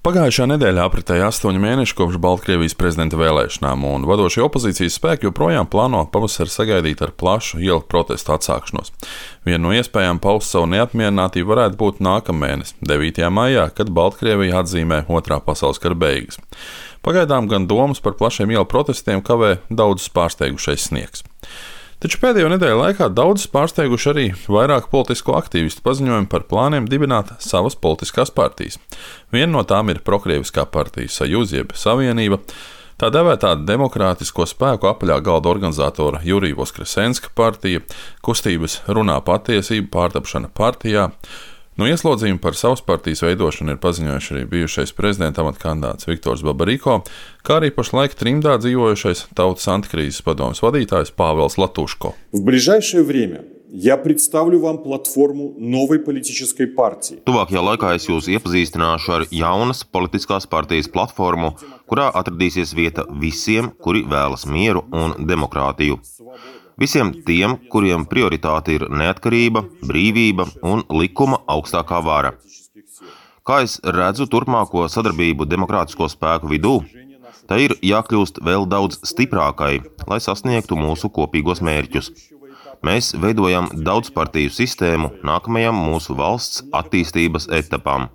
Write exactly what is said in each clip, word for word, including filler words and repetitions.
Pagājušā nedēļā apritēja astoņi mēneši kopš Baltkrievijas prezidenta vēlēšanām, un vadošie opozīcijas spēki joprojām plāno pavasari sagaidīt ar plašu ielu protestu atsākšanos. Viena no iespējām paust savu neapmierinātību varētu būt nākamēnes, devītajā maijā, kad Baltkrievija atzīmē Otrā pasaules kara beigas. Pagaidām gan domas par plašiem ielu protestiem kavē daudzus pārsteigušais sniegs. Taču pēdējo nedēļu laikā daudzus pārsteiguši arī vairāk politisko aktīvistu paziņojumi par plāniem dibināt savas politiskās partijas. Viena no tām ir prokrieviskā partija Sajuz jeb Savienība, tā devētā demokrātisko spēku apaļā galda organizatora Jurija Voskresenska partija, kustības Runā patiesība pārtapšana partijā. No ieslodzījuma par savas partijas veidošanu ir paziņojuši arī bijušais prezidenta amata kandidāts Viktors Babariko, kā arī pašlaik trimdā dzīvojušais Tautas antikrīzes padomes vadītājs Pāvels Latuško. В ближайшее время я представлю вам платформу новой политической партии. Tuvākajā laikā es jūs iepazīstināšu ar jaunas politiskās partijas platformu, kurā atradīsies vieta visiem, kuri vēlas mieru un demokrātiju. Visiem tiem, kuriem prioritāte ir neatkarība, brīvība un likuma augstākā vara. Kā es redzu turpmāko sadarbību demokrātisko spēku vidū, tai ir jākļūst vēl daudz stiprākai, lai sasniegtu mūsu kopīgos mērķus. Mēs veidojam daudzpartiju sistēmu nākamajam mūsu valsts attīstības etapam.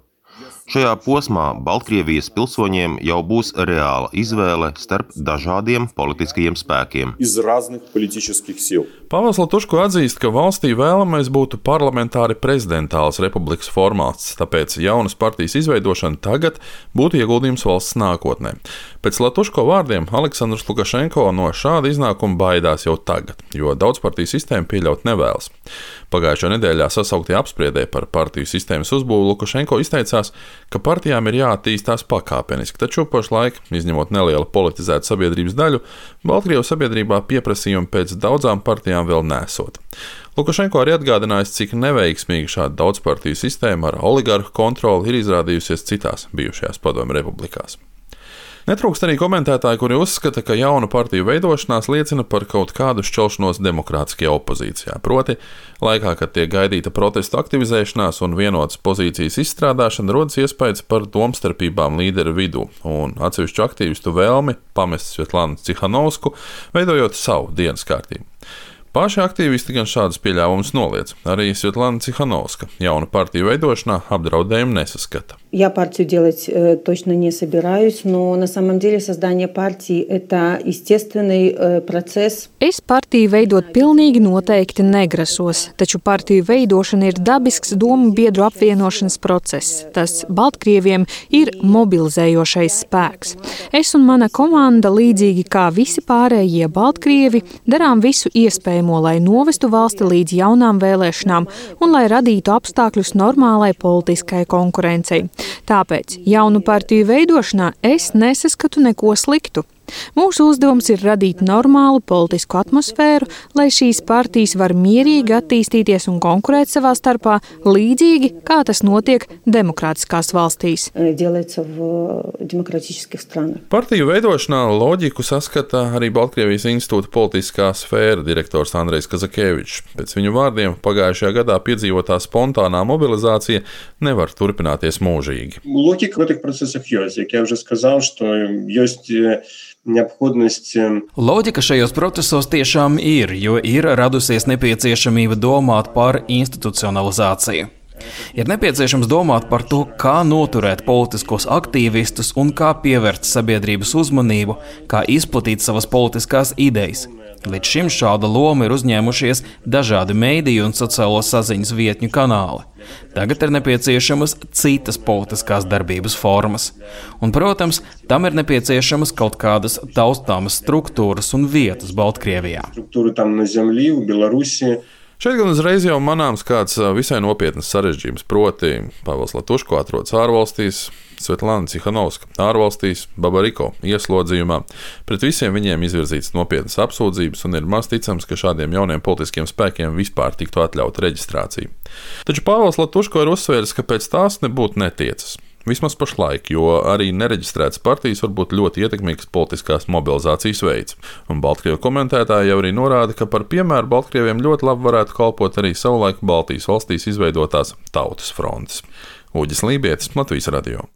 Šajā posmā Baltkrievijas pilsoņiem jau būs reāla izvēle starp dažādiem politiskajiem spēkiem. Pāvels Latuško atzīst, ka valstī vēlamais būtu parlamentāri prezidentālas republikas formāts, tāpēc jaunas partijas izveidošana tagad būtu ieguldījums valsts nākotnē. Pēc Latuško vārdiem Aleksandrs Lukašenko no šāda iznākuma baidās jau tagad, jo daudzpartiju sistēmu pieļaut nevēlas. Pagājušajā nedēļā sasauktajā apspriedē par partiju sistēmas uzbūvi Lukašenko izteicās, ka partijām ir jāattīstās pakāpeniski, taču pašlaik, izņemot nelielu politizētu sabiedrības daļu, Baltkrievijas sabiedrībā pieprasījumi pēc daudzām partijām vēl nesot. Lukašenko arī atgādinājis, cik neveiksmīga šāda daudzpartiju sistēma ar oligarhu kontroli ir izrādījusies citās bijušajās padomju republikās. Netrūkst arī komentētāji, kuri uzskata, ka jaunu partiju veidošanās liecina par kaut kādu šķelšanos demokrātiskajā opozīcijā. Proti, laikā, kad tiek gaidīta protestu aktivizēšanās un vienotas pozīcijas izstrādāšana, rodas iespējas par domstarpībām līderu vidū un atsevišķu aktīvistu vēlmi pamest Svetlānu Cihanovsku, veidojot savu dienas kārtību. Paši aktīvisti gan šādus pieļāvumus noliedz. Arī Svetlāna Cihanovska jaunu partiju veidošanā apdraudējumu nesaskata. Я партию делать э, точно не собираюсь, но на самом деле создание партии – это естественный э, процесс. Es partiju veidot pilnīgi noteikti negrasos, taču partiju veidošana ir dabisks domu biedru apvienošanas process. Tas Baltkrieviem ir mobilizējošais spēks. Es un mana komanda, līdzīgi kā visi pārējie Baltkrievi, darām visu iespējamo, lai novestu valsti līdz jaunām vēlēšanām un lai radītu apstākļus normālai politiskai konkurencei. Tāpēc jaunu partiju veidošanā es nesaskatu neko sliktu. Mūsu uzdevums ir radīt normālu politisku atmosfēru, lai šīs partijas var mierīgi attīstīties un konkurēt savā starpā, līdzīgi kā tas notiek demokrātiskās valstīs. Partiju veidošanā loģiku saskata arī Baltkrievijas institūta politiskā sfēra direktors Andrejs Kazakevičs. Pēc viņu vārdiem pagājušajā gadā piedzīvotā spontānā mobilizācija nevar turpināties mūžīgi. Логика в этих процессах есть. Как я уже сказал, что есть необходимость. Loģika šajos procesos tiešām ir, jo ir radusies nepieciešamība domāt par institucionalizāciju. Ir nepieciešams domāt par to, kā noturēt politiskos aktīvistus un kā pievērst sabiedrības uzmanību, kā izplatīt savas politiskās idejas. Līdz šim šāda loma ir uzņēmušies dažādi mediju un sociālo saziņas vietņu kanāli. Tagad ir nepieciešamas citas politiskās darbības formas. Un, protams, tam ir nepieciešamas kaut kādas taustāmas struktūras un vietas Baltkrievijā. Struktūra tam na zemlī, Belarusī. Šeit gan uzreiz jau manāms kāds visai nopietnas sarežģījums, proti Pāvels Latuško atrodas ārvalstīs, Svetlāna Cihanovska ārvalstīs, Babariko ieslodzījumā. Pret visiem viņiem izvirzītas nopietnas apsūdzības un ir maz ticams, ka šādiem jauniem politiskiem spēkiem vispār tiktu atļauta reģistrācija. Taču Pāvels Latuško ir uzsvērs, ka pēc tās nebūtu netiecas. Vismaz pašlaik, jo arī nereģistrētas partijas var būt ļoti ietekmīgas politiskās mobilizācijas veids. Un Baltkrievu komentētāji jau arī norāda, ka par piemēru Baltkrieviem ļoti labi varētu kalpot arī savulaik Baltijas valstīs izveidotās Tautas frontes. Uģis Lībietis, Latvijas radio.